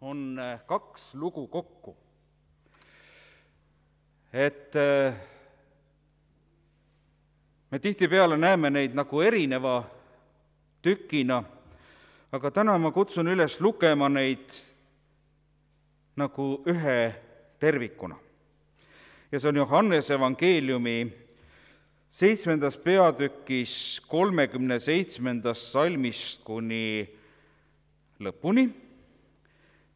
on kaks lugu kokku. Et me tihtipeale näeme neid nagu erineva tükina, aga täna ma kutsun üles lugema neid nagu ühe tervikuna. Ja see on Johannese evangeeliumi 7. peatükis 37. salmist kuni lõpuni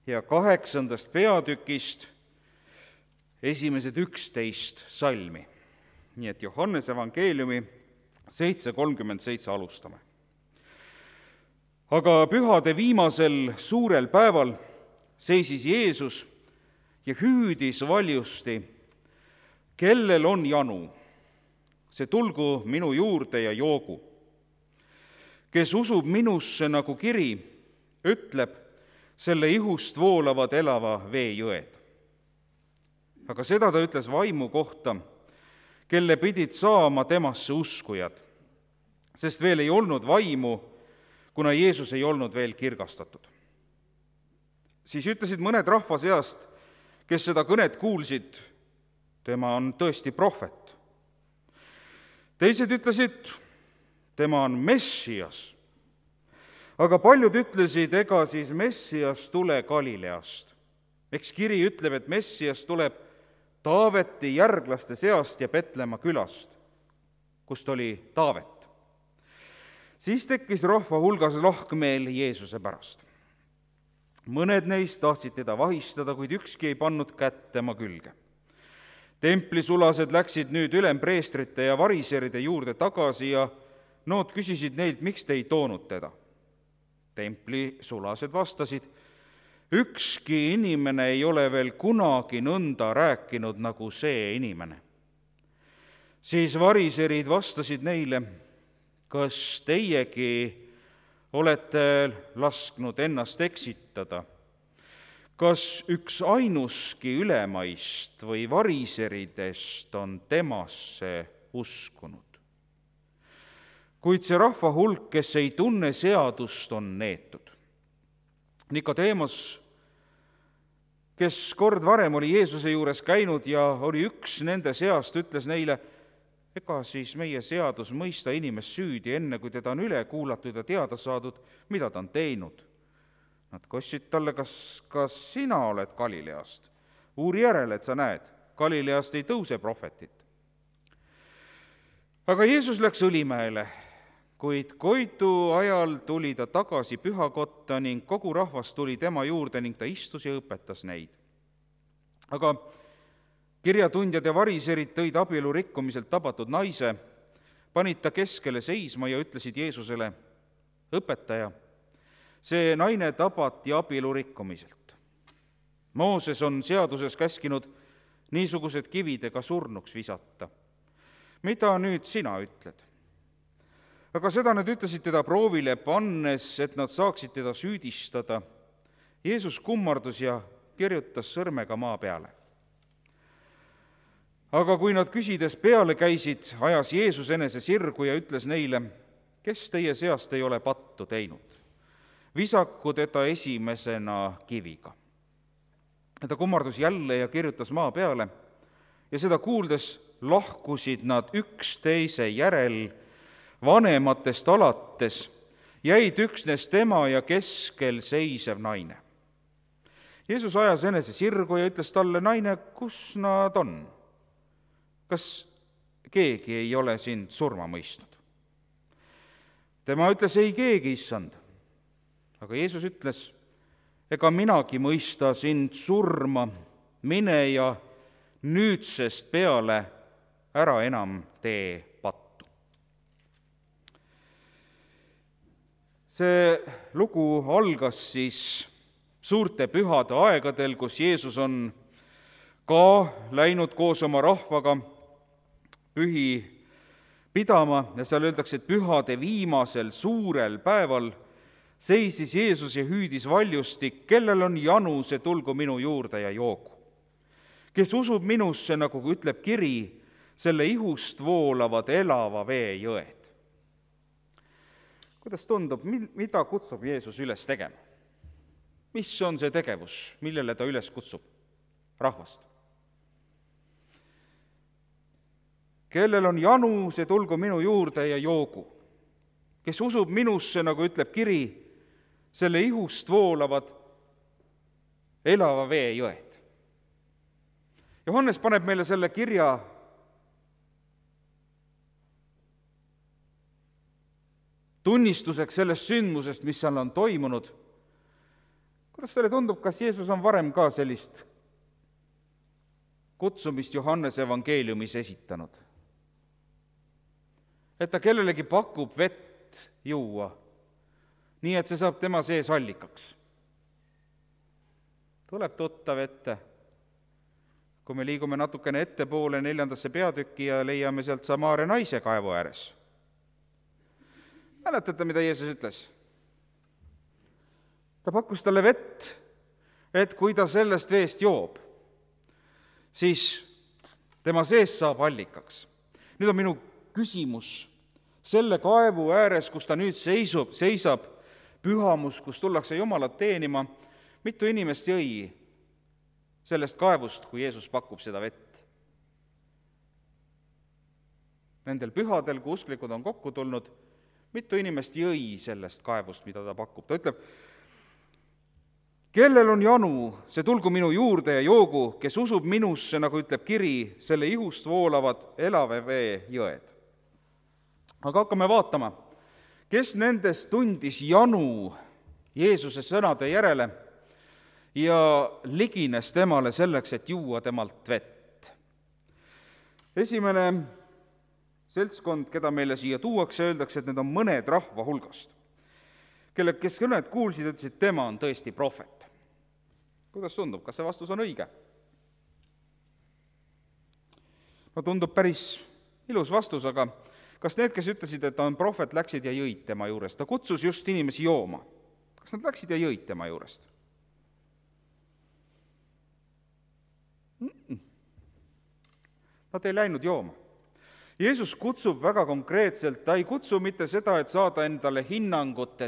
ja 8. peatükist esimesed 11 salmi. Nii et Johannese evangeeliumi 7.37 alustame. Aga pühade viimasel suurel päeval seisis Jeesus ja hüüdis valjusti, kellel on janu, see tulgu minu juurde ja joogu. Kes usub minusse nagu kiri, ütleb, selle ihust voolavad elava vee jõed. Aga seda ta ütles vaimu kohta, kelle pidid saama temasse uskujad, sest veel ei olnud vaimu, kuna Jeesus ei olnud veel kirgastatud. Siis ütlesid mõned rahva seast, kes seda kõnet kuulsid, tema on tõesti prohvet. Teised ütlesid, tema on Messias. Aga paljud ütlesid, ega siis Messias tule Galileast. Eks kiri ütleb, et Messias tuleb Taaveti järglaste seast ja Petlemma külast, kust oli Taavet. Siis tekkis rahva hulgas lahkmeel Jeesuse pärast. Mõned neist tahtsid teda vahistada, kuid ükski ei pannud kätt tema külge. Templisulased läksid nüüd ülempreestrite ja variseride juurde tagasi ja nood küsisid neilt, miks te ei toonud teda. Templisulased vastasid, ükski inimene ei ole veel kunagi nõnda rääkinud nagu see inimene. Siis variserid vastasid neile, kas teiegi olete lasknud ennast eksitada? Kas üks ainuski ülemaist või variseridest on temasse uskunud? Kuid see rahva hulk, kes ei tunne seadust, on neetud. Nikodeemos, kes kord varem oli Jeesuse juures käinud ja oli üks nende seast, ütles neile, ega siis meie seadus mõista inimest süüdi, enne kui teda on üle kuulatud ja teada saadud, mida ta on teinud. Nad kostsid talle, kas sina oled Galileast? Uuri järele, et sa näed, Galileast ei tõuse prohvetit. Aga Jeesus läks Õlimäele, kuid koidu ajal tuli ta tagasi pühakotta ning kogu rahvas tuli tema juurde ning ta istus ja õpetas neid. Aga kirjatundjad ja variserid tõid abielu rikkumiselt tabatud naise, panid ta keskele seisma ja ütlesid Jeesusele, õpetaja, see naine tabati abielu rikkumiselt. Mooses on seaduses käskinud niisugused kividega surnuks visata. Mida nüüd sina ütled? Aga seda nad ütlesid teda proovile pannes, et nad saaksid teda süüdistada. Jeesus kummardus ja kirjutas sõrmega maa peale. Aga kui nad küsides peale käisid, ajas Jeesus enese sirgu ja ütles neile, kes teie seast ei ole pattu teinud? Visaku teda esimesena kiviga. Ta kummardus jälle ja kirjutas maa peale ja seda kuuldes lahkusid nad üksteise järel vanematest alates, jäid üksnes tema ja keskel seisev naine. Jeesus ajas enese sirgu ja ütles talle, naine, kus nad on? Kas keegi ei ole sind surma mõistnud? Tema ütles, ei keegi, issand. Aga Jeesus ütles, ega minagi mõista sind surma, mine ja nüüdsest peale ära enam tee pattu. See lugu algas siis suurte pühade aegadel, kus Jeesus on ka läinud koos oma rahvaga pühi pidama ja seal öeldakse, et pühade viimasel suurel päeval seisis Jeesus ja hüüdis valjusti, kellel on janu, see tulgu minu juurde ja joogu. Kes usub minusse, nagu ütleb kiri, selle ihust voolavad elava vee jõed. Kuidas tundub, mida kutsub Jeesus üles tegema? mis on see tegevus, millele ta üles kutsub rahvast? Kellel on janu, see tulgu minu juurde ja joogu. Kes usub minusse, nagu ütleb kiri, selle ihust voolavad elava vee jõed. Johannes paneb meile selle kirja tunnistuseks sellest sündmusest, mis seal on toimunud. Kuidas teile tundub, kas Jeesus on varem ka sellist kutsumist Johannese evangeeliumis esitanud? Et ta kellelegi pakub vett juua, nii et see saab tema sees allikaks. Tuleb tuttav ette, kui me liigume natukene ettepoole 4. peatükki ja leiame sealt Samaaria naise kaevu ääres. Mäletate, mida Jeesus ütles? Ta pakkus talle vett, et kui ta sellest veest joob, siis tema sees saab allikaks. Nüüd on minu küsimus selle kaevu ääres, kus ta nüüd seisab, pühamus, kus tullakse Jumalat teenima, mitu inimest jõi sellest kaevust, kui Jeesus pakub seda vett? Nendel pühadel, kui usklikud on kokku tulnud, mitu inimest jõi sellest kaevust, mida ta pakub? Ta ütleb, kellel on janu, see tulgu minu juurde ja joogu, kes usub minusse, nagu ütleb kiri, selle ihust voolavad elava vee jõed. Aga hakkame vaatama, kes nendest tundis janu Jeesuse sõnade järele ja ligines temale selleks, et juua temalt vett. Esimene seltskond, keda meile siia tuuakse, öeldakse, et need on mõned rahva hulgast, kes kõned kuulsid, ütlesid, tema on tõesti prohvet. Kuidas tundub, kas see vastus on õige? No tundub päris ilus vastus, aga kas need, kes ütlesid, et ta on prohvet, läksid ja jõid tema juurest? Ta kutsus just inimesi jooma. Kas nad läksid ja jõid tema juurest? Nad ei läinud jooma. Jeesus kutsub väga konkreetselt, ta ei kutsu mitte seda, et saada endale hinnangut,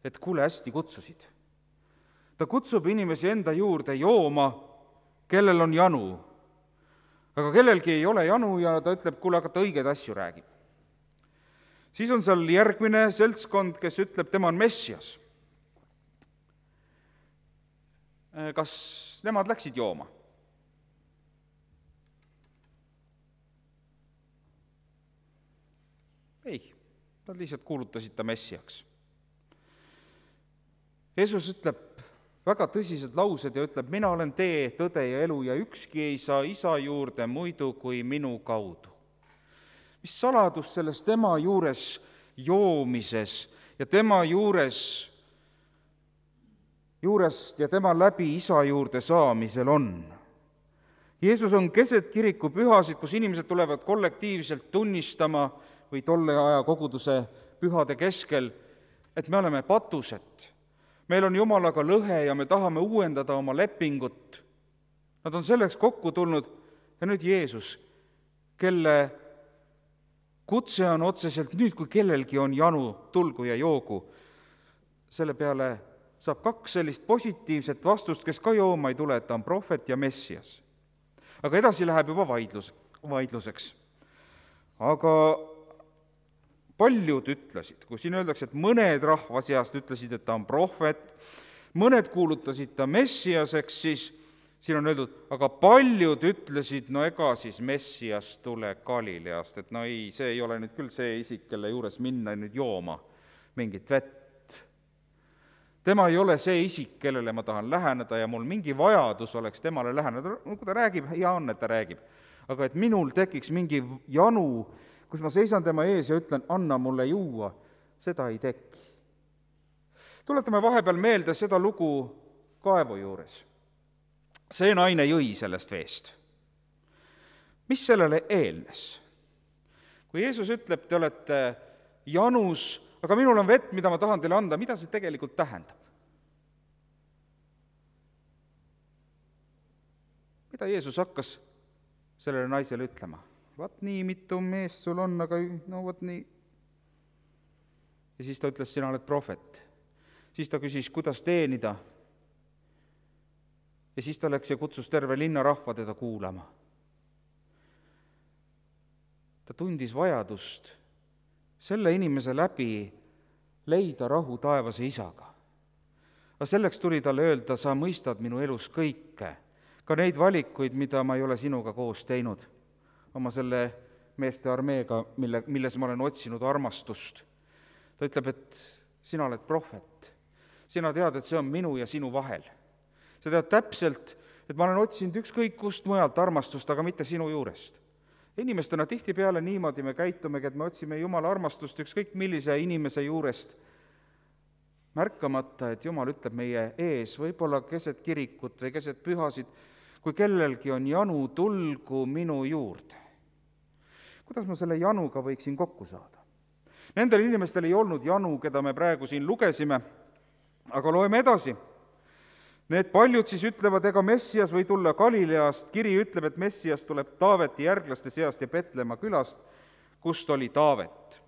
et kuule, hästi kutsusid. Ta kutsub inimesi enda juurde jooma, kellel on janu. Aga kellelgi ei ole janu ja ta ütleb, kuule, aga ta õigeid asju räägib. Siis on seal järgmine seltskond, kes ütleb, tema on Messias. Kas nemad läksid jooma? Ei, nad lihtsalt kuulutasid ta Messiaks. Jeesus ütleb väga tõsised laused ja ütleb, mina olen tee, tõde ja elu ja ükski ei saa isa juurde muidu kui minu kaudu. Mis saladus selles tema juures joomises ja tema juurest ja tema läbi isa juurde saamisel on? Jeesus on keset kiriku pühasid, kus inimesed tulevad kollektiivselt tunnistama või tolle aja koguduse pühade keskel, et me oleme patused. Meil on Jumalaga lõhe ja me tahame uuendada oma lepingut. Nad on selleks kokku tulnud ja nüüd Jeesus, kelle kutse on otseselt nüüd, kui kellelgi on janu, tulgu ja joogu. Selle peale saab 2 sellist positiivset vastust, kes ka jooma ei tule, et ta on prohvet ja Messias. Aga edasi läheb juba vaidluseks. Aga paljud ütlesid, kui siin öeldakse, et mõned rahva seast ütlesid, et ta on prohvet, mõned kuulutasid ta Messiaseks, siis siin on öeldud, aga paljud ütlesid, no ega siis Messias tule Galileast, et no ei, see ei ole nüüd küll see isik, kelle juures minna nüüd jooma mingit vett. Tema ei ole see isik, kellele ma tahan läheneda ja mul mingi vajadus oleks temale läheneda. No kui ta räägib, hea on, et ta räägib. Aga et minul tekiks mingi janu, kus ma seisan tema ees ja ütlen, anna mulle juua, seda ei teki. Tuletame vahepeal meelde seda lugu kaevu juures. See naine jõi sellest veest. Mis sellele eelnes? Kui Jeesus ütleb, te olete janus, aga minul on vett, mida ma tahan teile anda, mida see tegelikult tähendab? Mida Jeesus hakkas sellele naisele ütlema? Vaat nii mitu meest sul on, aga no vaat nii. Ja siis ta ütles, sina oled prohvet. Siis ta küsis, kuidas teenida. ja siis ta läks ja kutsus terve linnarahva teda kuulama. Ta tundis vajadust selle inimese läbi leida rahu taevase Isaga. Aga selleks tuli talle öelda, sa mõistad minu elus kõike, ka neid valikuid, mida ma ei ole sinuga koos teinud, oma selle meeste armeega, milles ma olen otsinud armastust. Ta ütleb, et sina oled prohvet, sina tead, et see on minu ja sinu vahel. Sa tead täpselt, et ma olen otsinud ükskõik kust mujalt armastust, aga mitte sinu juurest. Inimestena tihtipeale niimoodi me käitumegi, et me otsime Jumala armastust ükskõik millise inimese juurest, märkamata, et Jumal ütleb meie ees, võib-olla keset kirikut või keset pühasid, kui kellelgi on janu, tulgu minu juurde. Kuidas ma selle januga võiksin kokku saada? Nendel inimestel ei olnud janu, keda me praegu siin lugesime, aga loeme edasi. Need paljud siis ütlevad, ega Messias või tulla Galileast. Kiri ütleb, et Messias tuleb Taaveti järglaste seast ja Petlemma külast, kust oli Taavet.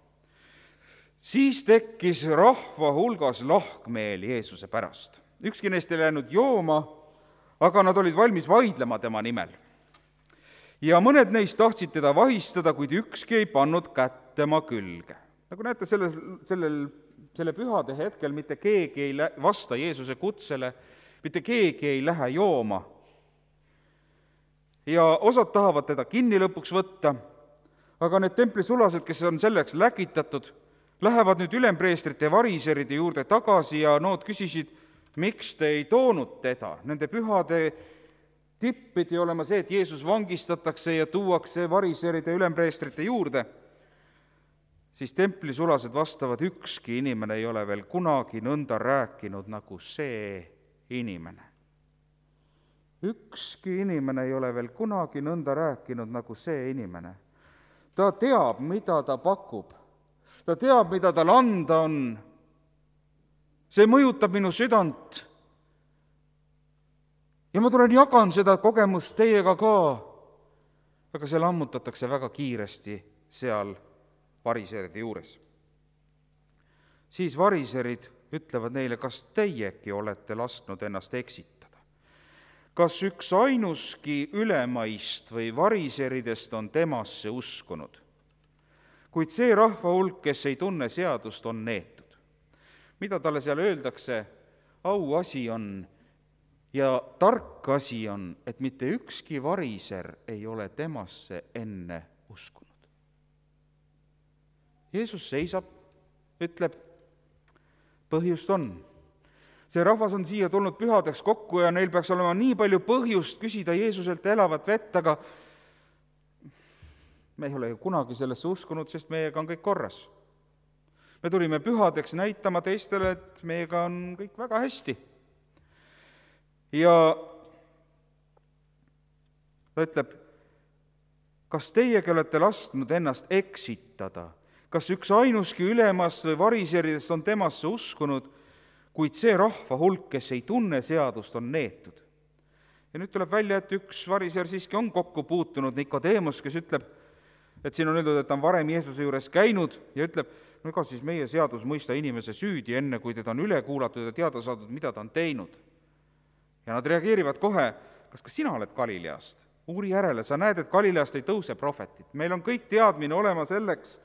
Siis tekkis rahva hulgas lahkmeel Jeesuse pärast. Ükski neist ei läinud jooma, aga nad olid valmis vaidlema tema nimel. Ja mõned neist tahtsid teda vahistada, kuid ükski ei pannud kätt tema külge. Nagu näete, selle pühade hetkel mitte keegi ei vasta Jeesuse kutsele, mitte keegi ei lähe jooma. Ja osad tahavad teda kinni lõpuks võtta, aga need templisulased, kes on selleks läkitatud, lähevad nüüd ülempreestrite ja variseride juurde tagasi ja nood küsisid, miks te ei toonud teda. Nende pühade tipp pidi olema see, et Jeesus vangistatakse ja tuuakse variseride ja ülempreestrite juurde. Siis templisulased vastavad, ükski inimene ei ole veel kunagi nõnda rääkinud nagu see inimene. Ükski inimene ei ole veel kunagi nõnda rääkinud nagu see inimene. Ta teab, mida ta pakub. Ta teab, mida tal anda on. See mõjutab minu südant. Ja ma tulen jagan seda kogemust teiega ka. Aga see lammutatakse väga kiiresti seal variseride juures. Siis variserid ütlevad neile, kas teiegi olete lasknud ennast eksitada? Kas üks ainuski ülemaist või variseridest on temasse uskunud? Kuid see rahva hulk, kes ei tunne seadust, on neetud. Mida talle seal öeldakse? Auasi on ja tark asi on, et mitte ükski variser ei ole temasse enne uskunud. Jeesus seisab, ütleb, põhjust on. See rahvas on siia tulnud pühadeks kokku ja neil peaks olema nii palju põhjust küsida Jeesuselt elavat vett, aga me ei ole ju kunagi sellesse uskunud, sest meiega on kõik korras. Me tulime pühadeks näitama teistele, et meiega on kõik väga hästi. Ja ta ütleb, kas teiegi olete lasknud ennast eksitada? Kas üks ainuski ülemast või variseridest on temasse uskunud, kuid see rahva hulk, kes ei tunne seadust, on neetud. Ja nüüd tuleb välja, et üks variser siiski on kokku puutunud, Nikodemus, kes ütleb, et siin on öeldud, et ta on varem Jeesuse juures käinud ja ütleb, no ega siis meie seadus mõista inimese süüdi, enne kui teda on üle kuulatud ja teada saadud, mida ta on teinud. Ja nad reageerivad kohe, kas ka sina oled Galileast? Uuri järele, sa näed, et Galileast ei tõuse prohvetit. Meil on kõik teadmine olema selleks,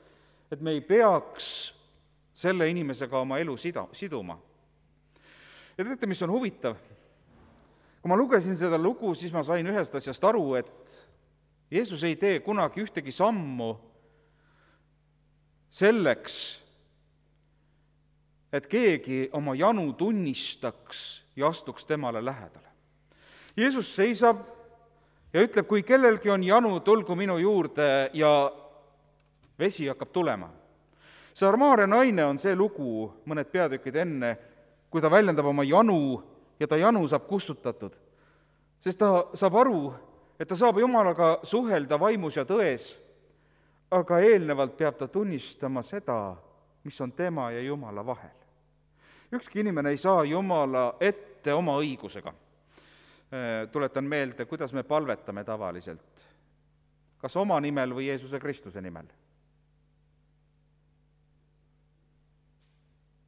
et me ei peaks selle inimesega oma elu siduma. Ja teate, mis on huvitav? Kui ma lugesin seda lugu, siis ma sain ühest asjast aru, et Jeesus ei tee kunagi ühtegi sammu selleks, et keegi oma janu tunnistaks ja astuks temale lähedale. Jeesus seisab ja ütleb, kui kellelgi on janu, tulgu minu juurde ja vesi hakkab tulema. Sarmaare naine on see lugu mõned peatükid enne, kui ta väljendab oma janu ja ta janu saab kustutatud. Sest ta saab aru, et ta saab Jumalaga suhelda vaimus ja tões, aga eelnevalt peab ta tunnistama seda, mis on tema ja Jumala vahel. Ükski inimene ei saa Jumala ette oma õigusega. Tuletan meelde, kuidas me palvetame tavaliselt. Kas oma nimel või Jeesuse Kristuse nimel?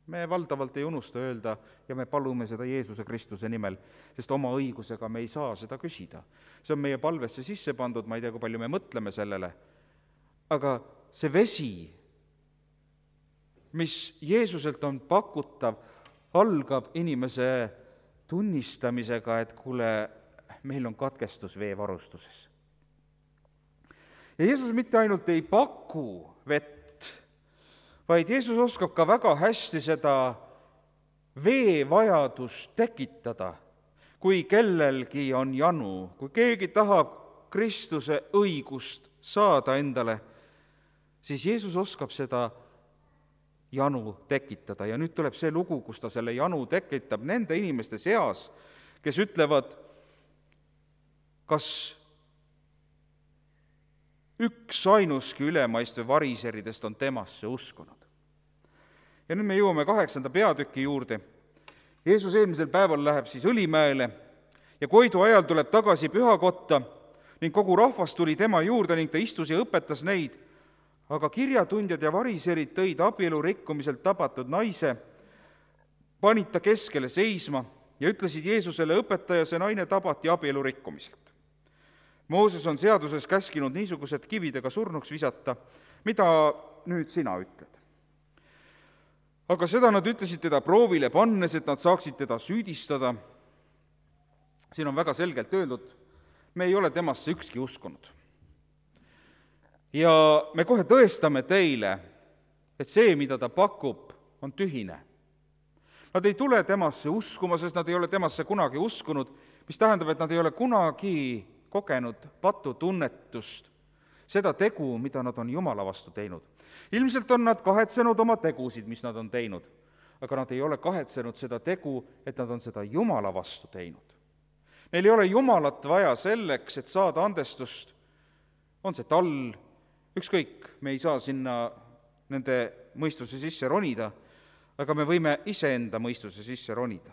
Me valdavalt ei unusta öelda ja me palume seda Jeesuse Kristuse nimel, sest oma õigusega me ei saa seda küsida. See on meie palvesse sisse pandud, ma ei tea, kui palju me mõtleme sellele, aga see vesi, mis Jeesuselt on pakutav, algab inimese tunnistamisega, et kuule, meil on katkestus veevarustuses. Ja Jeesus mitte ainult ei paku vett, vaid Jeesus oskab ka väga hästi seda veevajadust tekitada, kui kellelgi on janu, kui keegi tahab Kristuse õigust saada endale, siis Jeesus oskab seda janu tekitada. Ja nüüd tuleb see lugu, kus ta selle janu tekitab nende inimeste seas, kes ütlevad, kas üks ainuski ülemaistu variseridest on temasse uskunud. Ja nüüd me jõuame 8. peatüki juurde. Jeesus eelmisel päeval läheb siis Õlimäele ja Koidu ajal tuleb tagasi pühakotta ning kogu rahvas tuli tema juurde ning ta istus ja õpetas neid. Aga kirjatundjad ja variserid tõid abielu rikkumiselt tabatud naise, panid ta keskele seisma ja ütlesid Jeesusele, õpetaja, see naine tabati abielu rikkumiselt. Mooses on seaduses käskinud niisugused kividega surnuks visata, mida nüüd sina ütled? Aga seda nad ütlesid teda proovile pannes, et nad saaksid teda süüdistada. Siin on väga selgelt öeldud, me ei ole temasse ükski uskunud. Ja me kohe tõestame teile, et see, mida ta pakub, on tühine. Nad ei tule temasse uskuma, sest nad ei ole temasse kunagi uskunud, mis tähendab, et nad ei ole kunagi kogenud patutunnetust, seda tegu, mida nad on Jumala vastu teinud. Ilmselt on nad kahetsenud oma tegusid, mis nad on teinud, aga nad ei ole kahetsenud seda tegu, et nad on seda Jumala vastu teinud. Neil ei ole Jumalat vaja selleks, et saada andestust, on see tall, ükskõik, me ei saa sinna nende mõistuse sisse ronida, aga me võime iseenda mõistuse sisse ronida.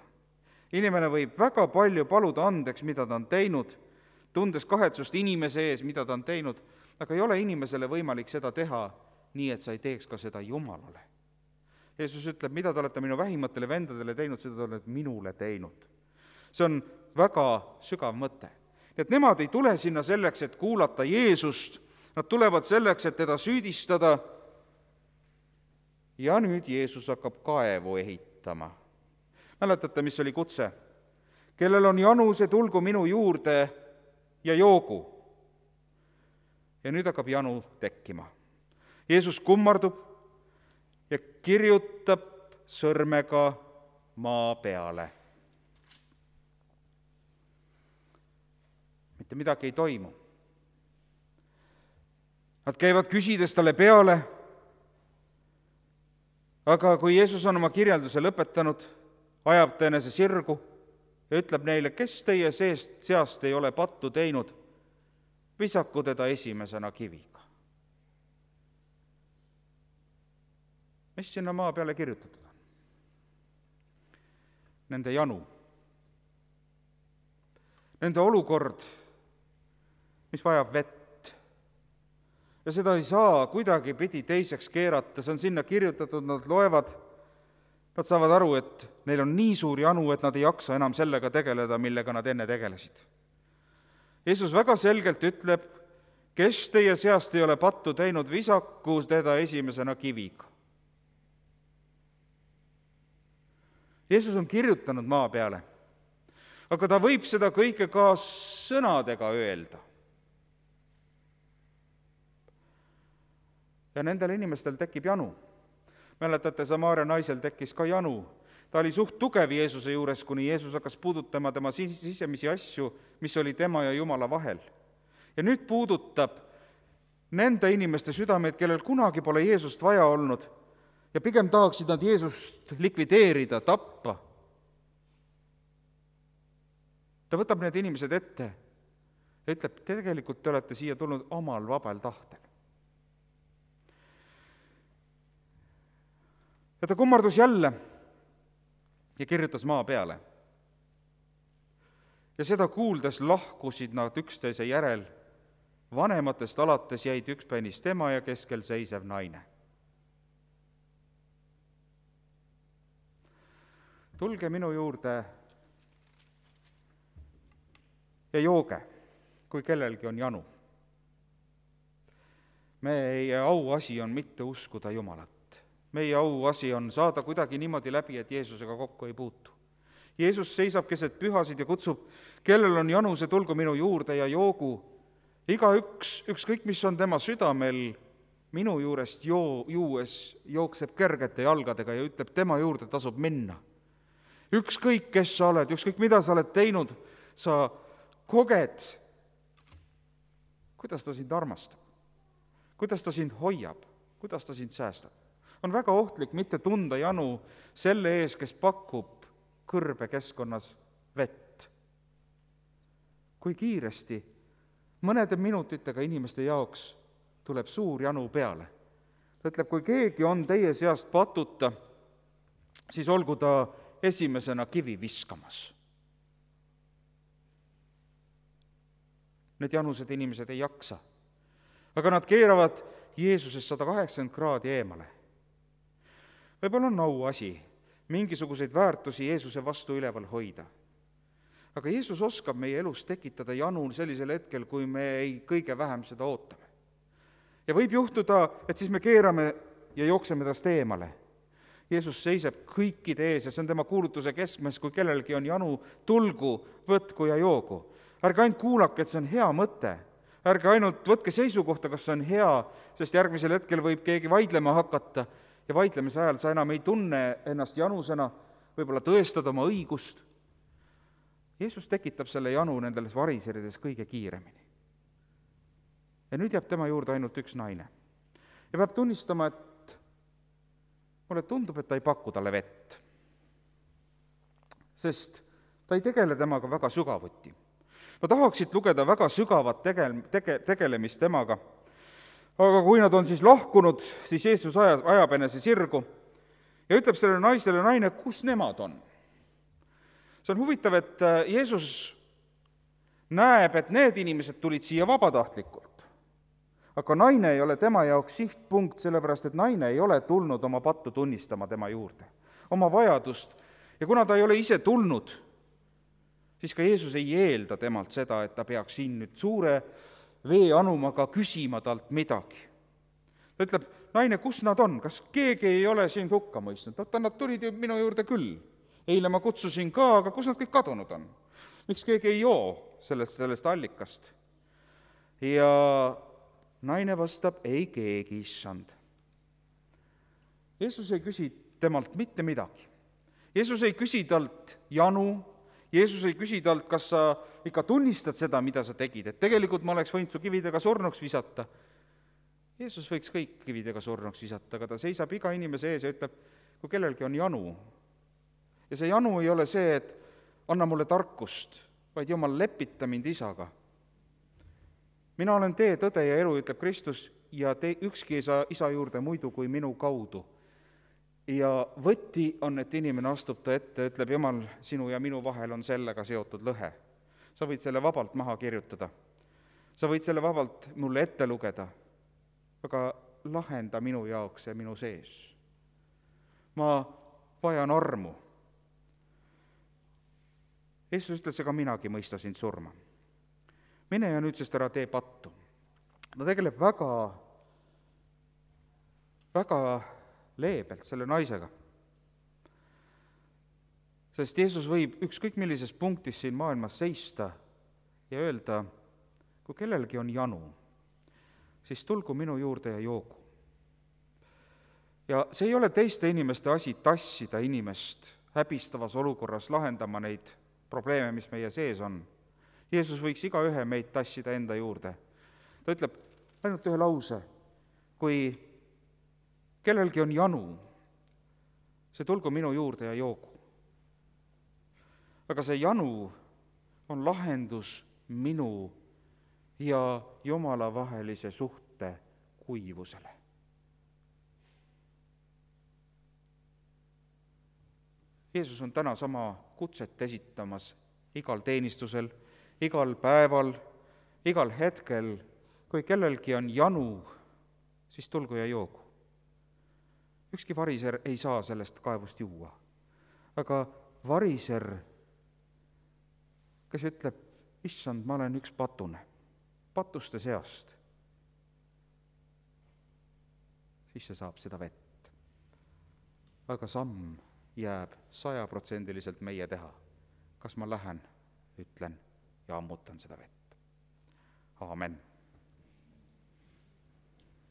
Inimene võib väga palju paluda andeks, mida ta on teinud, tundes kahetsust inimese ees, mida ta on teinud, aga ei ole inimesele võimalik seda teha nii, et sa ei teeks ka seda Jumalale. Jeesus ütleb, mida te olete minu vähimatele vendadele teinud, seda te olete minule teinud. See on väga sügav mõte. Et nemad ei tule sinna selleks, et kuulata Jeesust, nad tulevad selleks, et teda süüdistada. Ja nüüd Jeesus hakkab kaevu ehitama. Mäletate, mis oli kutse? Kellel on janu, see tulgu minu juurde ja joogu. Ja nüüd hakkab janu tekkima. Jeesus kummardub ja kirjutab sõrmega maa peale. Mitte midagi ei toimu. Nad käivad küsides talle peale, aga kui Jeesus on oma kirjelduse lõpetanud, ajab ta enese sirgu ja ütleb neile, kes teie seast ei ole pattu teinud, visaku teda esimesena kiviga. Mis sinna maa peale kirjutatud on? Nende janu. Nende olukord, mis vajab vett. Ja seda ei saa kuidagi pidi teiseks keerata, see on sinna kirjutatud, nad loevad, nad saavad aru, et neil on nii suur janu, et nad ei jaksa enam sellega tegeleda, millega nad enne tegelesid. Jeesus väga selgelt ütleb, kes teie seast ei ole pattu teinud, visaku teda esimesena kiviga. Jeesus on kirjutanud maa peale, aga ta võib seda kõike ka sõnadega öelda. Ja nendel inimestel tekib janu. Mäletate, Samaaria naisel tekkis ka janu. Ta oli suht tugev Jeesuse juures, kuni Jeesus hakkas puudutama tema sisemisi asju, mis oli tema ja Jumala vahel. Ja nüüd puudutab nende inimeste südameid, kellel kunagi pole Jeesust vaja olnud ja pigem tahaksid nad Jeesust likvideerida, tappa. Ta võtab need inimesed ette ja ütleb, tegelikult te olete siia tulnud omal vabal tahtel. Ja ta kummardus jälle ja kirjutas maa peale. Ja seda kuuldes lahkusid nad üksteise järel, vanematest alates jäid ükspäinis tema ja keskel seisev naine. tulge minu juurde ja jooge, kui kellelgi on janu. Meie auasi on mitte uskuda Jumalat. Meie auasi on saada kuidagi niimoodi läbi, et Jeesusega kokku ei puutu. Jeesus seisab keset pühasid ja kutsub, kellel on janu, see tulgu minu juurde ja joogu. Igaüks, ükskõik mis on tema südamel, minu juurest juues jookseb kergete jalgadega ja ütleb, tema juurde tasub minna. Ükskõik, kes sa oled, ükskõik, mida sa oled teinud, sa koged, kuidas ta sind armastab, kuidas ta sind hoiab, kuidas ta sind säästab. On väga ohtlik mitte tunda janu selle ees, kes pakub kõrbe keskkonnas vett. Kui kiiresti, mõnede minutitega inimeste jaoks tuleb suur janu peale. Ta ütleb, kui keegi on teie seast patuta, siis olgu ta esimesena kivi viskamas. Need janused inimesed ei jaksa, aga nad keeravad Jeesusest 180 kraadi eemale. Võib-olla on auasi mingisuguseid väärtusi Jeesuse vastu üleval hoida. Aga Jeesus oskab meie elus tekitada janu sellisel hetkel, kui me ei kõige vähem seda ootame. Ja võib juhtuda, et siis me keerame ja jookseme tast eemale. Jeesus seisab kõikide ees ja see on tema kuulutuse keskmes, kui kellelgi on janu, tulgu, võtku ja joogu. Ärge ainult kuulake, et see on hea mõte. Ärge ainult võtke seisukohta, kas see on hea, sest järgmisel hetkel võib keegi vaidlema hakata ja vaidlemise ajal sa enam ei tunne ennast janusena, võib-olla tõestad oma õigust. Jeesus tekitab selle janu nendes variserides kõige kiiremini. Ja nüüd jääb tema juurde ainult üks naine. Ja peab tunnistama, et mulle tundub, et ta ei paku talle vett. Sest ta ei tegele temaga väga sügavuti. Ma tahaksid lugeda väga sügavat tegelemist temaga, aga kui nad on siis lahkunud, siis Jeesus ajab enese sirgu ja ütleb sellele naisele, naine, kus nemad on? See on huvitav, et Jeesus näeb, et need inimesed tulid siia vabatahtlikult, aga naine ei ole tema jaoks sihtpunkt, sellepärast et naine ei ole tulnud oma pattu tunnistama tema juurde, oma vajadust, ja kuna ta ei ole ise tulnud, siis ka Jeesus ei eelda temalt seda, et ta peaks siin nüüd suure veeanumaga küsima talt midagi. Ta ütleb, naine, kus nad on, kas keegi ei ole sind hukka mõistnud? Oota, nad tulid ju minu juurde küll. Eile ma kutsusin ka, aga kus nad kõik kadunud on? Miks keegi ei joo sellest allikast? Ja naine vastab, ei keegi, issand. Jeesus ei küsi temalt mitte midagi. Jeesus ei küsi talt janu, Jeesus ei küsi talt, kas sa ikka tunnistad seda, mida sa tegid, et tegelikult ma oleks võinud su kividega surnuks visata. Jeesus võiks kõik kividega surnuks visata, aga ta seisab iga inimese ees ja ütleb, kui kellelgi on janu. Ja see janu ei ole see, et anna mulle tarkust, vaid Jumal, lepita mind isaga. Mina olen tee, tõde ja elu, ütleb Kristus, ja ükski ei saa isa juurde muidu kui minu kaudu. Ja võti on, et inimene astub ta ette, ütleb, Jumal, sinu ja minu vahel on sellega seotud lõhe. Sa võid selle vabalt maha kirjutada. Sa võid selle vabalt mulle ette lugeda, aga lahenda minu jaoks ja minu sees. Ma vajan armu. Jeesus ütles, ega minagi mõista sind surma. Mine ja nüüd sest ära tee pattu. Ta tegeleb väga leebelt selle naisega. Sest Jeesus võib ükskõik millises punktis siin maailmas seista ja öelda, kui kellelgi on janu, siis tulgu minu juurde ja joogu. Ja see ei ole teiste inimeste asi tassida inimest häbistavas olukorras lahendama neid probleeme, mis meie sees on. Jeesus võiks igaühe meid tassida enda juurde. Ta ütleb ainult ühe lause, kui kellelgi on janu, see tulgu minu juurde ja joogu. Aga see janu on lahendus minu ja Jumala vahelise suhte kuivusele. Jeesus on täna sama kutset esitamas igal teenistusel, igal päeval, igal hetkel, kui kellelgi on janu, siis tulgu ja joogu. Ükski variser ei saa sellest kaevust juua, aga variser, kes ütleb, issand, ma olen üks patune, patuste seast, siis see saab seda vett. Aga samm jääb 100% meie teha. Kas ma lähen, ütlen ja ammutan seda vett. Aamen.